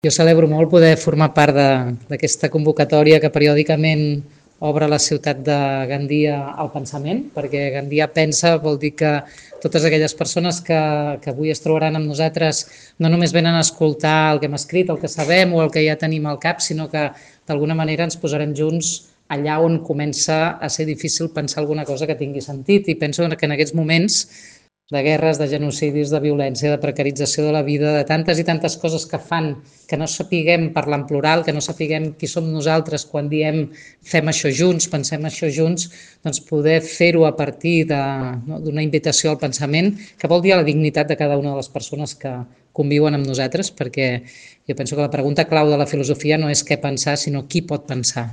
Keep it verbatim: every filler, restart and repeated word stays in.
Jo celebro molt poder formar part d'aquesta convocatòria que periòdicament obre la ciutat de Gandia al pensament, perquè Gandia pensa vol dir que totes aquelles persones que, que avui es trobaran amb nosaltres no només venen a escoltar el que hem escrit, el que sabem o el que ja tenim al cap, sinó que d'alguna manera ens posarem junts allà on comença a ser difícil pensar alguna cosa que tingui sentit. I penso que en aquests moments de guerres, de genocidis, de violència, de precarització de la vida, de tantes i tantes coses que fan que no sapiguem parlar en plural, que no sapiguem qui som nosaltres quan diem fem això junts, pensem això junts, doncs poder fer-ho a partir d'una invitació al pensament, que vol dir a la dignitat de cada una de les persones que conviuen amb nosaltres, perquè jo penso que la pregunta clau de la filosofia no és què pensar, sinó qui pot pensar.